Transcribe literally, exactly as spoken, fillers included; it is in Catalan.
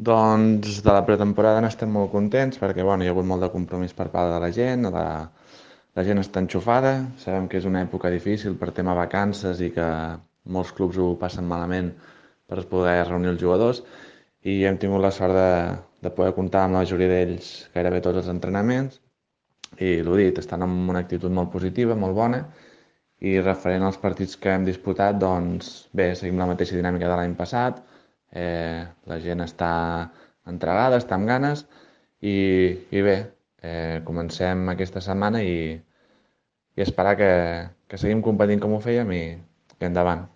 Doncs de la pretemporada n'estem molt contents perquè bueno, hi ha hagut molt de compromís per part de la gent, la, la gent està enxufada, sabem que és una època difícil per tema vacances i que molts clubs ho passen malament per poder reunir els jugadors i hem tingut la sort de, de poder comptar amb la majoria d'ells gairebé tots els entrenaments i l'ho dit, estan amb una actitud molt positiva, molt bona i referent als partits que hem disputat, doncs bé, seguim la mateixa dinàmica de l'any passat, eh, la gent està entregada, està amb ganes i, i bé, eh, comencem aquesta setmana i, i esperar que, que seguim competint com ho fèiem i, i endavant.